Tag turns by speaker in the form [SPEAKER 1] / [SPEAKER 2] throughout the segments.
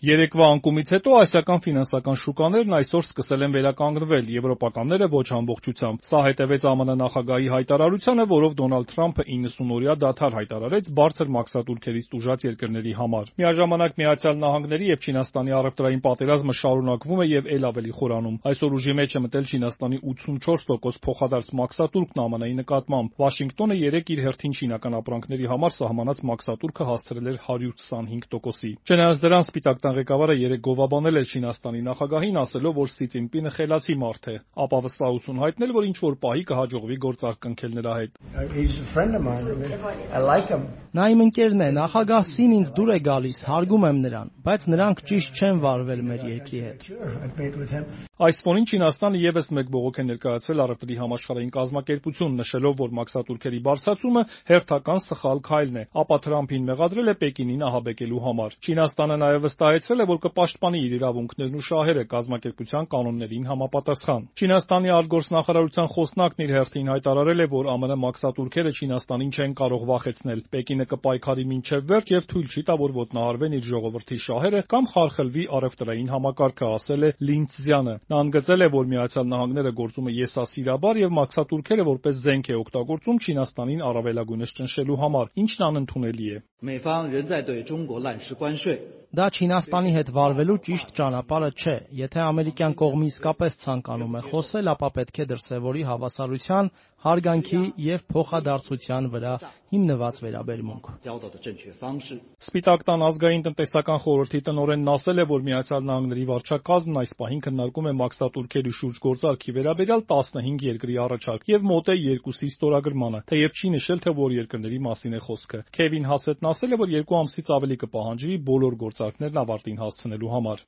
[SPEAKER 1] Երեկվա անկումից հետո ասիական ֆինանսական շուկաներն այսօր սկսել են վերականգնվել, եվրոպականները ոչ ամբողջությամբ։ Սա հետևեց ԱՄՆ նախագահի հայտարարությանը, որով Դոնալդ Թրամփը 90-օրյա դադար հայտարարեց բարձր մաքսատուրքերից տուժած երկրների համար։ Միաժամանակ Միացյալ Նահանգների եւ Չինաստանի առևտրային պատերազմը շարունակվում է եւ ել ավելի խորանում։ Այսօր ուժի մեջ է մտել Չինաստանի 84% փոխադարձ մաքսատուրքն ԱՄՆ-ի նկատմամբ։ Վաշինգտոնը երեկ իր հերթին չինական ապրանքների համար սահմանած մաքսատուրքը հասցրել էր 125%-ի։ Չնայած դրան Սպիտակ ղեկավարը երեկ գովաբանել էր Չինաստանի նախագահին, ասելով, որ Սի Ցինպինը խելացի մարդ է, ապա վստահություն հայտնել, որ ինչ-որ պահի կհաջողվի գործարք կնքել նրա հետ։
[SPEAKER 2] Նա իմ ընկերն է, նախագահ Սին ինձ դուր է գալիս, հարգում եմ նրան, բայց նրանք ճիշտ չեն վարվել մեր երկրի հետ։
[SPEAKER 1] Այս ֆոնին Չինաստանը եւս մեկ բողոք է ներկայացրել առևտրի համաշխարհային կազմակերպություն, նշելով, որ մաքսատուրքերի բարձրացումը հերթական սխալ քայլն է, ապա Թրամփին մեղադրել է Պեկինին ահաբեկելու համար։ Չինաստանը նաեւ վստահեցրել է, որ կպաշտպանի իր իրավունքներն ու շահերը կազմակերպության կանոններին համապատասխան։ Չինաստանի արտգործնախարարության խոսնակն իր հերթին հայտարարել է, որ ԱՄՆ մաքսատուրքերը Չինաստանին չեն կարող վախեցնել։ Պեկինը կպայքարի մինչև վերջ եւ թույլ չի տա, որ ոտնահարվեն իր ժողովրդի շահերը կամ խարխլվի առևտրային համակարգը, ասել է Լին Ցզյանը։ Նա ընդգծել է, որ Միացյալ Նահանգները գործում է եսասիրաբար եւ մաքսատուրքերը որպես զենք է օգտագործում Չինաստանին առավելագույնս ճնշելու համար, ինչն անընդունելի է։
[SPEAKER 2] Դա Չինաստանի հետ վարվելու ճիշտ ճանապարհը չէ։ Եթե ամերիկյան կողմը իսկապես ցանկանում է խոսել, ապա պետք է դրսևորի հավասարության, հարգանքի եւ փոխադարձության վրա հիմնված վերաբերմունք։
[SPEAKER 1] Սպիտակ տան ազգային տնտեսական խորհրդի տնօրենն ասել է, որ Միացյալ Նահանգների վարչակազմն այս պահին քննարկում է մաքսատուրքերի շուրջ գործարքի վերաբերյալ 15 երկրի առաջարկ եւ մոտ է 2-ի ստորագրմանը, թեև չի նշել, թե որ երկրների մասին է խոսքը։ Քևին Հասետն ասել է, որ 2 ամսից ավելի կպահանջվի բոլոր գործարքներն ավարտին հասցնելու համար։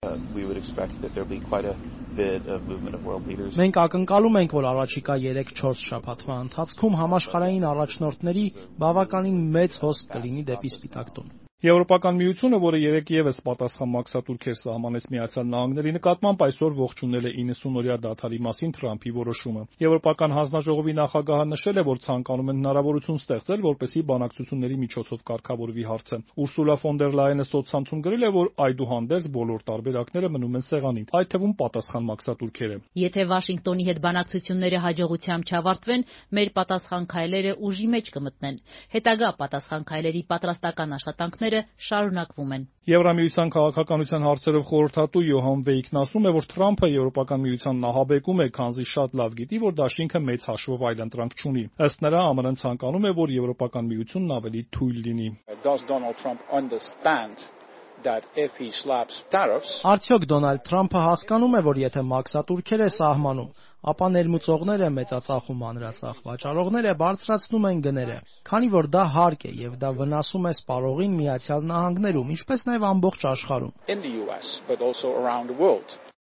[SPEAKER 2] Մենք ակնկալում ենք, որ առաջիկա 3-4 շաբաթվա ընթացքում համաշխարհային առաջնորդների բավականին մեծ հոսք կլինի դեպի Սպիտակ տուն։
[SPEAKER 1] Եվրոպական միությունը, որը երեկ եւս պատասխան մաքսատուրքեր սահմանեց Միացյալ Նահանգների նկատմամբ, այսօր ողջունել է 90-օրյա դադարի մասին Թրամփի որոշումը։ Եվրոպական հանձնաժողովի նախագահը նշել է, որ ցանկանում են հնարավորություն ստեղծել, որպեսզի բանակցությունների միջոցով կարգավորվի հարցը։ Ուրսուլա ֆոն դեր Լայենը սոցցանցում գրել է, որ այդուհանդերձ բոլոր տարբերակները մնում են սեղանին, այդ թվում պատասխան մաքսատուրքերը։
[SPEAKER 3] Եթե Վաշինգտոնի հետ բանակցությունները հաջողությամբ չավարտվեն, մեր պատասխան քայլերը ուժի մեջ կմտնեն։ Հետագա պատասխան քայլերի պատրաստական աշխատանքները շարունակվում են։
[SPEAKER 1] Եվրամիության քաղաքականության հարցերով խորհրդատու Յոհան Վեյքն ասում է, որ Թրամփը Եվրոպական միությանն ահաբեկում է, քանզի շատ լավ գիտի, որ դաշինքը մեծ հաշվով այլընտրանք չունի։ Ըստ նրա, ԱՄՆ-ն ցանկանում է, որ Եվրոպական միությունն ավելի թույլ լինի։
[SPEAKER 2] Արդյոք Դոնալդ Թրամփը հասկանում է, որ եթե մաքսատուրքեր է սահմանում, ապա ներմուծողները մեծածախ ու մանրածախ վաճառողները բարձրացնում են գները, քանի որ դա հարկ է եւ դա վնասում է սպառողին Միացյալ Նահանգներում, ինչպես նաեւ ամբողջ աշխարհում։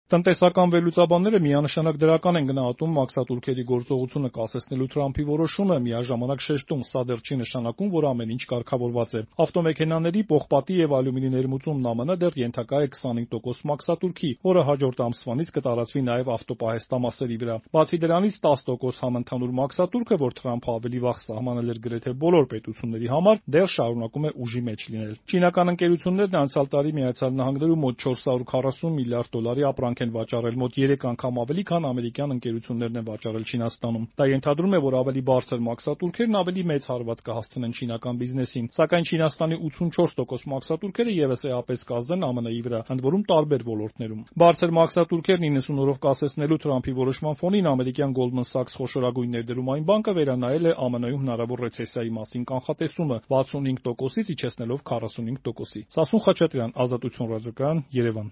[SPEAKER 1] Տնտեսական վերլուծաբանները միանշանակ դրական են գնահատում մաքսատուրքերի գործողությունը կասեցնելու Թրամփի որոշումը, միաժամանակ շեշտում, սա դեռ չի նշանակում, որ ամեն ինչ կարգավորված է։ Ավտոմեքենաների, պողպատի եւ ալյումինի ներմուծումն ԱՄՆ դեռ ենթակա է 25% մաքսատուրքի, որը հաջորդ ամսվանից կտարածվի նաեւ ավտոպահեստամասերի վրա։ Բացի դրանից 10% համընդհանուր մաքսատուրքը, որ Թրամփը ավելի վաղ սահմանել էր գրեթե բոլոր պետությունների համար, դեռ շարունակում է ուժի մեջ լինել։ Չինական ընկերություններն անցյալ տարի Միացյալ Նահանգներում մոտ 440 միլիարդ դոլարի ապրանք են վաճառել, մոտ 3 անգամ ավելի, քան ամերիկյան ընկերություններն են վաճառել Չինաստանում։ Դա ենթադրում է, որ ավելի բարձր մաքսատուրքերն ավելի մեծ հարված կհասցնեն չինական բիզնեսին, սակայն Չինաստանի 84% մաքսատուրքերը եւս էապես կազդեն ԱՄՆ-ի վրա, ընդ որում տարբեր ոլորտներում։ Բարձր մաքսատուրքերն 90 օրով կասեցնելու Թրամփի որոշման ֆոնին ամերիկյան Goldman Sachs խոշորագույն ներդրում այն բանկը վերանայել է ԱՄՆ-ում հնարավոր ռեցեսիայի մասին կանխատեսումը 65%-ից իջեցնելով 45%-ի։ Սասուն Խաչատրյան, Ազատություն ռադիոկայան, Երևան։